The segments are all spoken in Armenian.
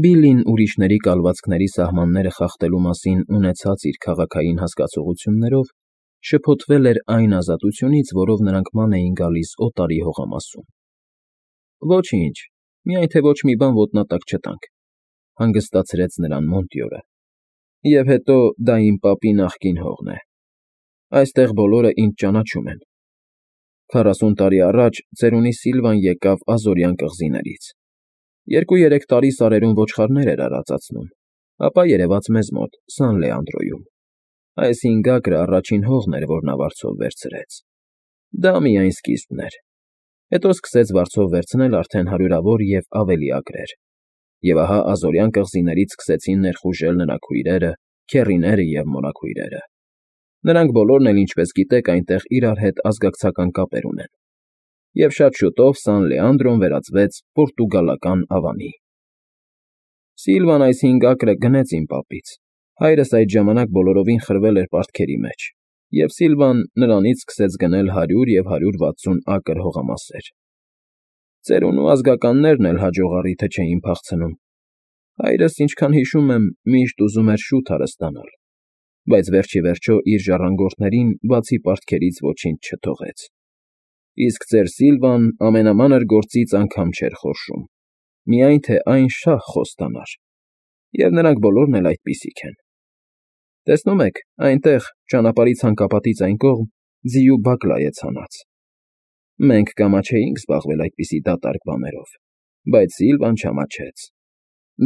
Բիլլին ուրիշների կալվածքների սահմանները խախտելու մասին ունեցած իր քաղաքային հասկացություններով շփոթվել էր այն ազատությունից, որով նրանք ման էին գալիս օտարի հողամասում։ Ոչինչ, միայն թե ոչ մի բան ոտնատակ չտանք, հանգստացրեց նրան Մոնտյորը։ Եվ հետո դա իմ պապի նախկին հողն է։ Այստեղ բոլորը ինձ ճանաչում են։ 40 տարի առաջ ծերունի Սիլվան եկավ Ազորյան կղզիներից։ 2-3 տարի սարերում ոչխարներ էր արածացնում, ապա երևաց մեզ մոտ, Սան Լեանդրոյում։ Այս 5 ակրը առաջին հողն էր, որ նա վարձով վերցրեց։ Դա միայն սկիզբն էր։ Հետո սկսեց վարձով վերցնել արդեն հարյուրավոր և ավելի ակրեր։ Եվ ահա Ազորյան կղզիներից սկսեցին ներխուժել նրա քույրերը, քեռիները և մորաքույրերը։ Նրանք բոլորն էլ, ինչպես գիտեք, այնտեղ իրար հետ ազգակցական կապեր ունեն։ Եվ շատ շուտով Սան Լեանդրոն վերածվեց պորտուգալական ավանի։ Սիլվան այս 5 ակրը գնեց իմ պապից։ Հայրս այդ ժամանակ բոլորովին խրվել էր պարտքերի մեջ, և Սիլվան նրանից սկսեց գնել 100 և 160 ակր հողամասեր։ Ծերունու ազգականներն էլ հաջող առիթը չէին փախցնում։ Հայրս, ինչքան հիշում եմ, միշտ ուզում էր շուտ հարստանալ, բայց վերջիվերջո իր ժառանգորդներին բացի պարտքերից ոչինչ չթողեց։ Իսկ ծեր Սիլվան ամենամանր գործից անգամ չէր խորշում, միայն թե այն շահ խոստանար։ Եվ նրանք բոլորն էլ այդպիսիք են։ Տեսնում եք, այնտեղ, ճանապարհի ցանկապատից այն կողմ, ձիու բակլա է ցանած։ Մենք կամաչեինք զբաղվել այդպիսի դատարկ բաներով, բայց Սիլվան չամաչեց։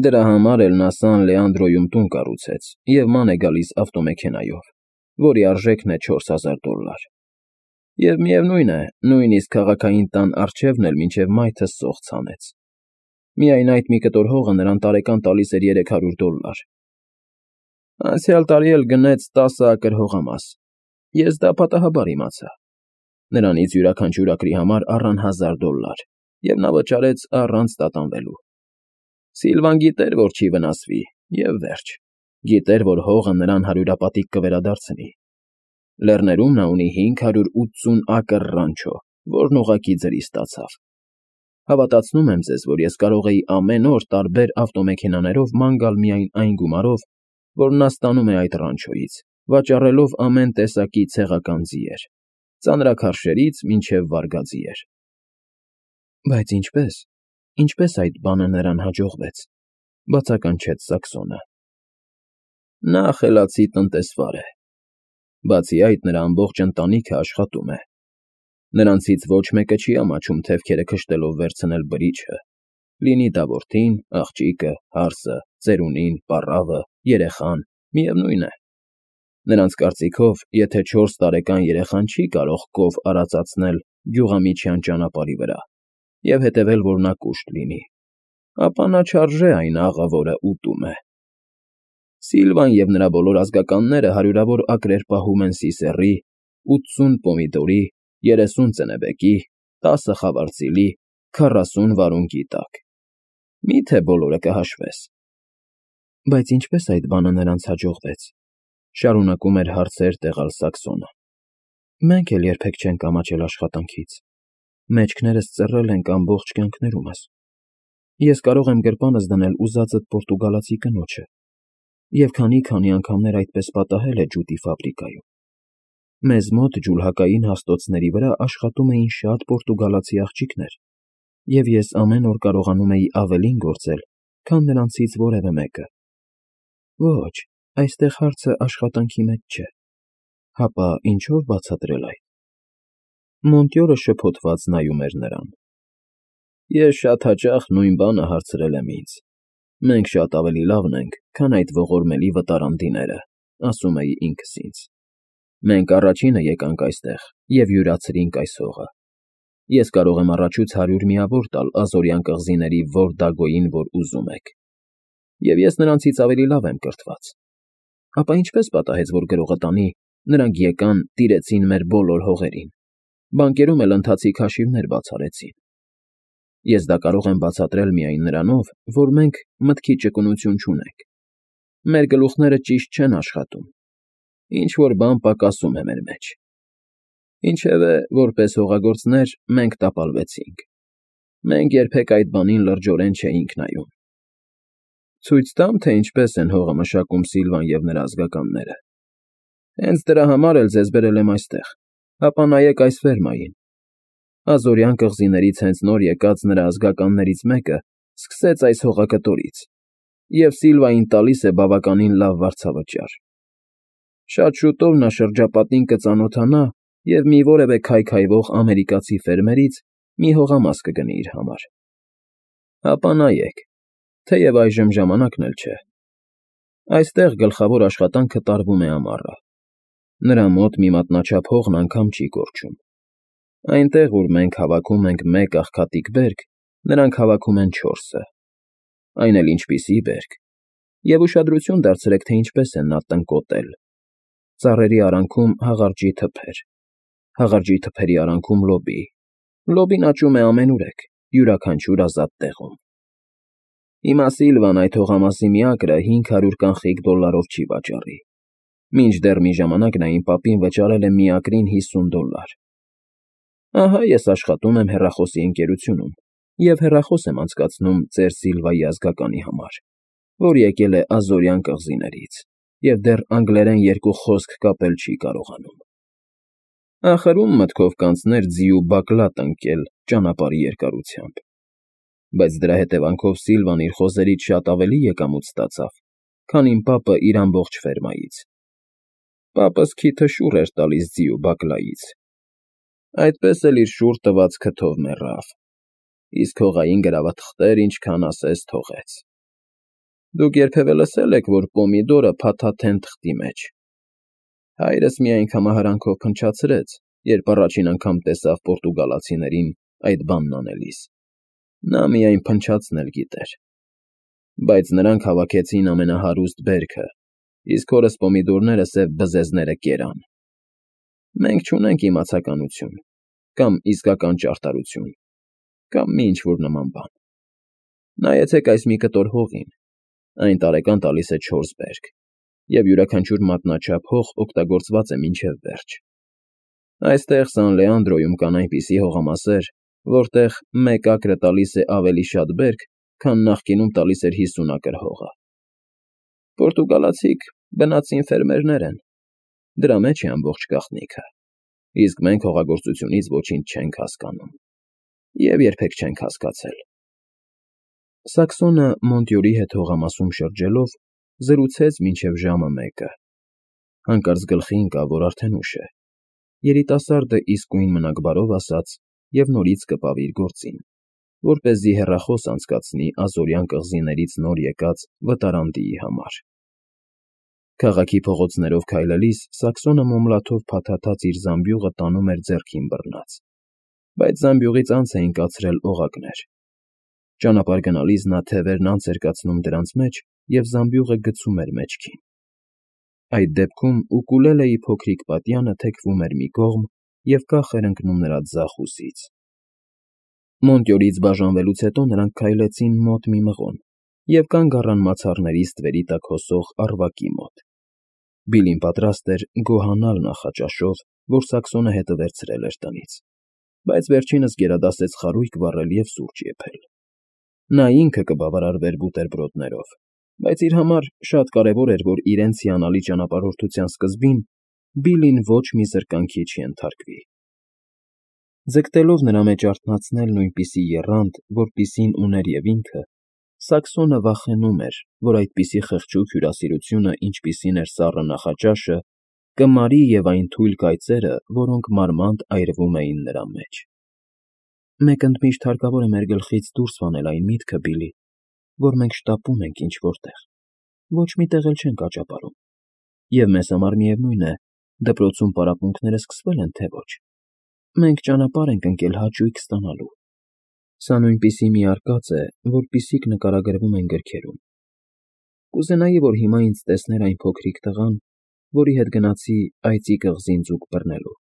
Դրա համար էլ նա Սան Լեանդրոյում տուն կառուցեց և ման է գալիս ավտոմեքենայով, որի արժեքն է $4000։ Եվ միևնույն է, նույնիսկ քաղաքային տան առջևն էլ մինչև մայթը սոխ ցանեց։ Միայն այդ մի կտոր հողը նրան տարեկան տալիս էր $300։ Անցյալ տարի էլ գնեց 10 ակր հողամաս։ Ես դա պատահաբար իմացա։ Նրանից յուրաքանչյուր ակրի համար առան $1000, և նա վճարեց առանց տատանվելու։ Սիլվան գիտեր, որ չի վնասվի, և վերջ։ Գիտեր, որ հողը նրան հարյուրապատիկ կվերադարձնի։ Լեռներում նա ունի 580 ակր ռանչո, որն ուղղակի ձրի ստացավ։ Հավատացնում եմ ձեզ, որ ես կարող էի ամեն օր տարբեր ավտոմեքենաներով ման գալ միայն այն գումարով, որ նա ստանում է այդ ռանչոյից, վաճառելով ամեն տեսակի ցեղական ձիեր, ծանրաքարշերից մինչև վարգաձիեր։ Բայց ինչպես այդ բանը նրան հաջողվեց, բացականչեց Սաքսոնը։ Նա խելացի տնտեսվար է։ Բացի այդ, նրա ամբողջ ընտանիքը աշխատում է։ Նրանցից ոչ մեկը չի ամաչում թևքերը քշտելով վերցնել բրիչը, լինի դա որդին, աղջիկը, հարսը, ծերունին, պառավը, երեխան, միևնույն է։ Նրանց կարծիքով, եթե 4 տարեկան երեխան չի կարող կով արածացնել գյուղամիջյան ճանապարհի վրա և հետևել, որ նա կուշտ լինի, ապա նա չարժե այն աղը, որը ուտում է։ Սիլվան և նրա բոլոր ազգականները հարյուրավոր ակրեր պահում են սիսեռի, 80 պոմիդորի, 30 ծնեբեկի, 10 խավարծիլի, 40 վարունգի տակ։ Մի՞թե բոլորը կհաշվես։ Բայց ինչպես այդ բանը նրանց հաջողվեց, շարունակում էր հարցեր տեղալ Սաքսոնը։ Մենք էլ երբեք չենք ամաչել աշխատանքից։ Մեջքներս ծռել ենք ամբողջ կյանքներումս։ Ես կարող եմ գրպանս դնել ուզածդ պորտուգալացի կնոջը, և քանի անգամներ այդպես պատահել է ջուտի ֆաբրիկայում։ Մեզ մոտ ջուլհակային հաստոցների վրա աշխատում էին շատ պորտուգալացի աղջիկներ, և ես ամեն օր կարողանում էի ավելին գործել, քան նրանցից որևէ մեկը։ Ոչ, այստեղ հարցը աշխատանքի մեջ չէ։ Հապա ինչո՞վ բացատրել այդ։ Մոնտյորը շփոթված նայում էր նրան։ Ես շատ հաճախ նույն բանը հարցրել եմ ինձ։ Մենք շատ ավելի լավն ենք, քան այդ ողորմելի վտարանդիները, ասում էի ինքս ինձ։ Մենք առաջինը եկանք այստեղ և յուրացրինք այս հողը։ Ես կարող եմ առաջուց 100 միավոր տալ Ազորյան կղզիների որ Դագոյին, որ ուզում եք։ Եվ ես նրանցից ավելի լավ եմ կրթված։ Ապա ինչպես պատահեց, որ գրողը տանի, նրանք եկան, տիրեցին մեր բոլոր հողերին, բանկերում էլ ընթացիկ հաշիվներ բացառեցին։ Ես դա կարող եմ բացատրել միայն նրանով, որ մենք մտքի ճկունություն չունենք։ Մեր գլուխները ճիշտ չեն աշխատում։ Ինչ֊որ բան պակասում է մեր մեջ։ Ինչևէ, որպես հողագործներ, մենք տապալվեցինք։ Մենք երբեք այդ բանին լրջորեն չէինք նայում։ Ցույց տամ, թե ինչպես են հողը մշակում Սիլվան և նրա ազգականները։ Հենց դրա համար էլ ձեզ բերել եմ այստեղ, ապա նայեք այս ֆերմային։ Ազորյան կղզիներից հենց նոր եկած նրա ազգականներից մեկը սկսեց այս հողակտորից, և Սիլվային տալիս է բավականին լավ վարձավճար։ Շատ շուտով նա շրջապատին կծանոթանա և մի որևէ քայքայվող ամերիկացի ֆերմերից մի հողամաս կգնի իր համար։ Ապա նայեք, թեև այժմ ժամանակն էլ չէ։ Այստեղ գլխավոր աշխատանքը տարվում է ամառը։ Նրա մոտ մի մատնաչափ հողն անգամ չի կորչում։ Այնտեղ, ուր մենք հավաքում ենք մեկ աղքատիկ բերք, նրանք հավաքում են 4-ը։ Այն էլ ինչպիսի բերք։ Եվ ուշադրություն դարձրեք, թե ինչպես են նա տնկոտել։ Ծառերի արանքում հաղարջի թփեր, հաղարջի թփերի արանքում լոբի։ Լոբին աճում է ամենուրեք, յուրաքանչյուր ազատ տեղում։ Հիմա Սիլվան այդ հողամասի մի ակրը 500 կանխիկ դոլարով չի վաճառի։ Մինչդեռ մի ժամանակ նա իմ պապին վճարել է մի ակրին $50։ Ահա ես աշխատում եմ հեռախոսի ընկերությունում և հեռախոս եմ անցկացնում ծեր Սիլվայի ազգականի համար, որ եկել է Ազորյան կղզիներից և դեռ անգլերեն 2 խոսք կապել չի կարողանում։ Ախր ում մտքով կանցներ ձի ու բակլատ ընկել ճանապարհի երկարությամբ։ Բայց դրա հետևանքով Սիլվան իր խոզերից շատ ավելի եկամուտ ստացավ, քան իմ պապը իր ամբողջ ֆերմայից։ Պապս քիթը շուռ էր տալիս ձի ու բակլայից։ Այդպես էլ իր շուռ տված քթով մեռավ։ Իսկ հողային գրավաթղթեր ինչքան ասես թողեց։ Դուք երբևէ լսել եք, որ պոմիդորը փաթաթեն թղթի մեջ։ Հայրս մի անգամահարանքով փնչացրեց, երբ առաջին անգամ տեսավ պորտուգալացիներին այդ բանն անելիս։ Նա միայն փնչացնել գիտեր։ Բայց նրանք հավաքեցին ամենահարուստ բերքը, իսկ հորս պոմիդորները սև բզեզները կերան։ Մենք չունենք իմացականություն, կամ իսկական ճարտարություն, կամ մի ինչ-որ նման բան։ Նայեցեք այս մի կտոր հողին, այն տարեկան տալիս է 4 բերք, և յուրաքանչյուր մատնաչափ հող օգտագործված է մինչև վերջ։ Այստեղ Սան Լեանդրոյում կան այնպիսի հողամասեր, որտեղ մեկ ակրը տալիս է ավելի շատ բերք, քան նախկինում տալիս էր 50 ակր հողը։ Պորտուգալացիք բնածին ֆերմերներ են, դրա մեջ է ամբողջ գաղտնիքը, իսկ մենք հողագործությունից ոչինչ չենք հասկանում և երբեք չենք հասկացել։ Սաքսոնը Մոնտյորի հետ հողամասում շրջելով զրուցեց մինչև ժամը 1-ը։ Հանկարծ գլխի ընկավ, որ արդեն ուշ է։ Երիտասարդը իսկույն մնաք բարով ասաց և նորից կպավ իր գործին, որպեսզի հեռախոս անցկացնի Ազորյան կղզիներից նոր եկած վտարանդիի համար։ Քաղաքի փողոցներով քայլելիս Սաքսոնը մոմլաթով փաթաթած իր զամբյուղը տանում էր ձեռքին բռնած, բայց զամբյուղից անց էին կացրել օղակներ։ Ճանապարհ գնալիս նա թևերն անց էր կացնում դրանց մեջ և զամբյուղը գցում էր մեջքին։ Այդ դեպքում ուկուլելեի փոքրիկ պատյանը թեքվում էր մի կողմ և կախ էր ընկնում նրա ձախ ուսից։ Մոնտյորից բաժանվելուց հետո նրանք քայլեցին մոտ մի մղոն և կանգ առան մացառների ստվերի տակ հոսող առվակի մոտ։ Բիլին պատրաստ էր գոհանալ նախաճաշով, որ Սաքսոնը հետը վերցրել էր տնից, բայց վերջինս գերադասեց խարույկ վառել և սուրճ եփել։ Նա ինքը կբավարարվեր բուտերբրոդներով, բայց իր համար շատ կարևոր էր, որ իրենց հիանալի ճանապարհորդության սկզբին Բիլին ոչ մի զրկանքի չենթարկվի։ Ձգտելով նրա մեջ արթնացնել նույնպիսի եռանդ, որպիսին ուներ և ինքը, Սաքսոնը վախենում էր, որ այդպիսի խղճուկ հյուրասիրությունը, ինչպիսին էր սառը նախաճաշը, կմարի և այն թույլ կայծերը, որոնք մարմանդ այրվում էին նրա մեջ։ Մենք ընդմիշտ հարկավոր է մեր գլխից դուրս հանել այն միտքը, Բիլի, որ մենք շտապում ենք ինչ֊որ տեղ, ոչ մի տեղ էլ չենք աճապարում, և մեզ համար միևնույն է, դպրոցում պարապմունքները սկսվե՞լ են, թե ոչ։ Մենք ճանապարհ ենք ընկել հաճույք ստանալու։ Սա նույնպիսի մի արկած է, որպիսիք նկարագրվում են գրքերում։ Կուզենայի, որ հիմա ինձ տեսներ այն փոքրիկ տղան, որի հետ գնացի այծի կղզին ձուկ բռնելու։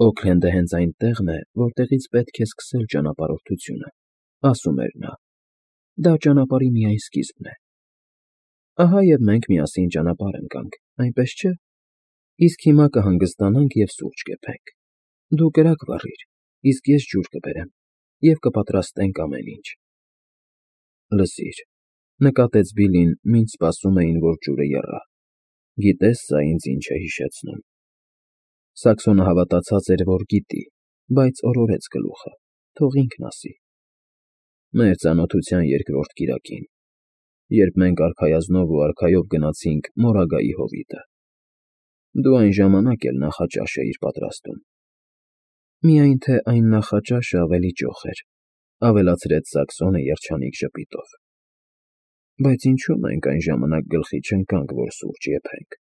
Օքլենդը հենց այն տեղն է, որտեղից պետք է սկսել ճանապարհորդությունը, ասում էր նա։ Դա ճանապարհի միայն սկիզբն է։ Ահա և մենք միասին ճանապարհ ընկանք, այնպես չէ։ Իսկ հիմա կհանգստանանք և սուրճ կեփենք։ Դու կրակ վառիր, իսկ ես ջուր կբերեմ, և կպատրաստենք ամեն ինչ։ Լսիր, Նկատեց Բիլին, մինչ սպասում էին, որ ջուրը եռա։ Գիտես սա ինձ ինչ է հիշեցնում։ Սաքսոնը հավատացած էր, որ գիտի, բայց օրորեց գլուխը, թող ինքն ասի։ Մեր ծանոթության երկրորդ կիրակին, երբ մենք արքայազնով ու արքայով գնացինք Մորագայի հովիտը։ Դու այն ժամանակ էլ նախաճաշ էիր պատրաստում։ Միայն թե այն նախաճաշը ավելի ճոխ էր, ավելացրեց Սաքսոնը երջանիկ ժպիտով։ Բայց ինչու մենք այն ժամանակ գլխի չընկանք, որ սուրճ եփենք,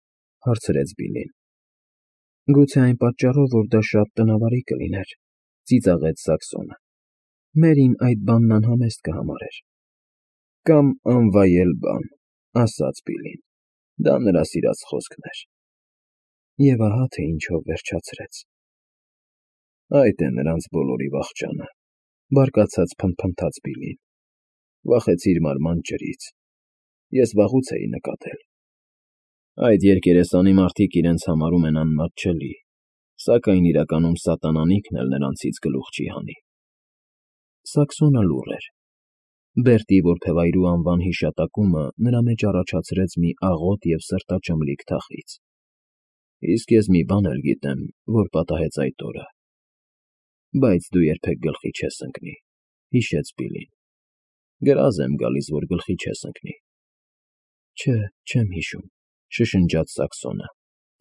հարցրեց Բիլին։ Գուցե այն պատճառով, որ դա շատ տնավարի կլիներ, ծիծաղեց Սաքսոնը։ Մերին այդ բանն անհամեստ կհամարեր։ Կամ անվայել բան, ասաց Բիլին։ Դա նրա սիրած խոսքն էր։ Եվ ահա թե ինչով վերջացրեց։ Այդ է նրանց բոլորի վախճանը, բարկացած փնթփնթաց Բիլին։ Վախեցիր մարման ջրից։ Ես վաղուց էի նկատել։ Այդ երկերեսանի մարդիկ իրենց համարում են անմատչելի, սակայն իրականում սատանանիքն էլ նրանցից գլուխ չի հանի։ Սաքսոնը լուռ էր։ Բերտի որբևայրու անվան հիշատակումը նրա մեջ առաջացրեց մի աղոտ և սրտաճմլիկ թախիծ։ Իսկ ես մի բան էլ գիտեմ, որ պատահեց այդ օրը։ Բայց դու երբեք գլխի չես ընկնի, հիշեց Բիլին։ Գրազ եմ գալիս, որ գլխի չես ընկնի։ Չէ, չեմ հիշում, շշնջաց Սաքսոնը,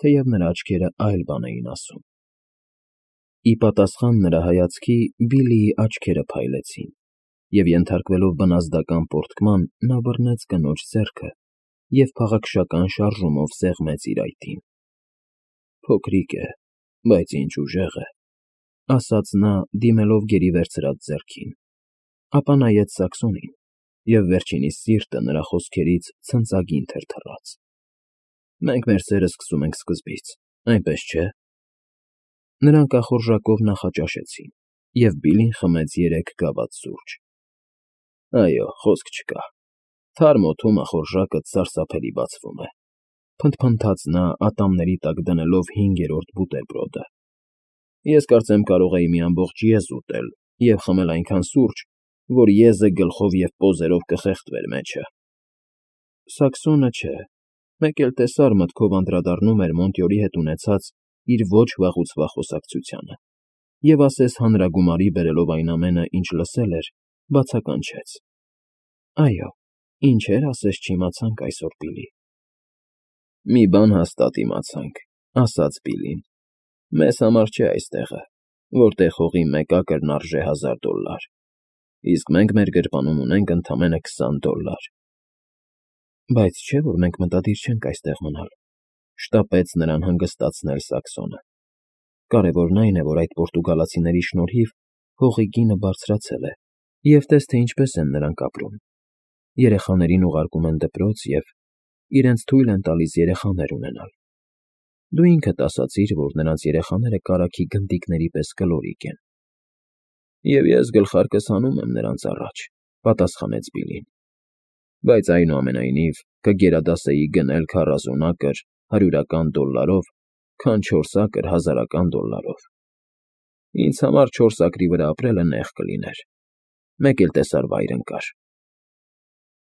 թեև նրա աչքերը այլ բան էին ասում։ Ի պատասխան նրա հայացքի Բիլիի աչքերը փայլեցին, և ենթարկվելով բնազդական պոռթկման, նա բռնեց կնոջ ձեռքը և փաղաքշական շարժումով սեղմեց իր այտին։ Փոքրիկ է, բայց ինչ ուժեղ է, ասաց նա, դիմելով գերի վերցրած ձեռքին, ապա նայեց Սաքսոնին, և վերջինիս սիրտը նրա խոսքերից ցնծագին թրթռաց։ Մենք մեր սերը սկսում ենք սկզբից, այնպես չէ՞։ Նրանք ախորժակով նախաճաշեցին, և Բիլին խմեց 3 գավաթ սուրճ։ Այո, խոսք չկա։ Թարմ օդում ախորժակը սարսափելի բացվում է, փնթփնթաց նա, ատամների տակ դնելով 5-րդ բուտերբրոդը։ Ես կարծեմ կարող էի մի ամբողջ եզ ուտել և խմել այնքան սուրճ, որ եզը գլխով և պոզերով կխեղդվեր մեջը։ Սաքսոնը չէ, մեկ էլ տեսար մտքով անդրադառնում էր Մոնտյորի հետ ունեցած իր ոչ վաղուց վաղ խոսակցությանը, և ասես հանրագումարի բերելով այն ամենը, ինչ լսել էր, բացականչեց. Այո, ինչեր ասես չիմացանք այսօր, Բիլի։ Մի բան հաստատ իմացանք, ասաց Բիլին. մեզ համար չէ այստեղը, որտեղ հողի մեկ ակրն արժե $1000, իսկ մենք մեր գրպանում ունենք ընդամենը $20։ Բայց չէ՞ որ մենք մտադիր չենք այստեղ մնալ, շտապեց նրան հանգստացնել Սաքսոնը։ Կարևորն այն է, որ այդ պորտուգալացիների շնորհիվ հողի գինը բարձրացել է, և տես թե ինչպես են նրանք ապրում։ Երեխաներին ուղարկում են դպրոց և իրենց թույլ են տալիս երեխաներ ունենալ։ Դու ինքդ ասացիր, որ նրանց երեխաները կարագի գնդիկների պես կլորիկ են։ Եվ ես գլխարկս հանում եմ նրանց առաջ, պատասխանեց Բիլին։ Բայց այնուամենայնիվ կգերադասեի գնել 40 ակր $100, քան 4 ակր $1000։ Ինձ համար 4 ակրի վրա ապրելը նեղ կլիներ։ Մեկ էլ տեսար վայր ընկար։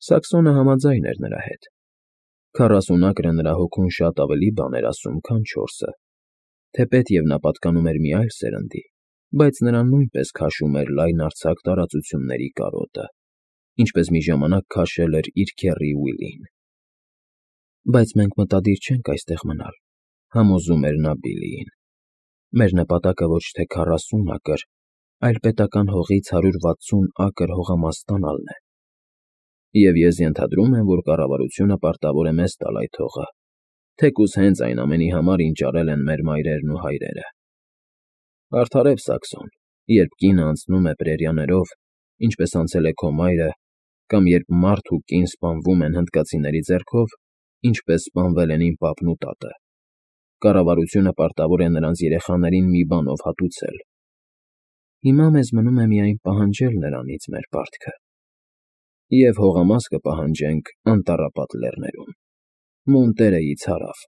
Սաքսոնը համաձայն էր նրա հետ։ 40 ակրը նրա հոգուն շատ ավելի բան էր ասում, քան 4-ը, թեպետև նա պատկանում էր մի այլ սերնդի, բայց նրան նույնպես քաշում էր լայնարձակ տարածությունների կարոտը, ինչպես մի ժամանակ քաշել էր իր քեռի Ուիլին։ Բայց մենք մտադիր չենք այստեղ մնալ, համոզում էր նա Բիլիին։ Մեր նպատակը ոչ թե 40 ակր, այլ պետական հողից 160 ակր հողամաս ստանալն է։ Եվ ես ենթադրում եմ, որ կառավարությունը պարտավոր է մեզ տալ այդ հողը, թեկուզ հենց այն ամենի համար, ինչ արել են մեր մայրերն ու հայրերը։ Արդարև, Սաքսոն, երբ կինը անցնում է պրերիաներով, ինչպես անցել է քո մայրը, կամ երբ մարդ ու կին սպանվում են հնդկացիների ձեռքով, ինչպես սպանվել են իմ պապն ու տատը, կառավարությունը պարտավոր է նրանց երեխաներին մի բանով հատուցել։ Հիմա մեզ մնում է միայն պահանջել նրանից մեր պարտքը։ Եվ հողամաս կպահանջենք անտառապատ լեռներում, Մոնտերեից հարավ,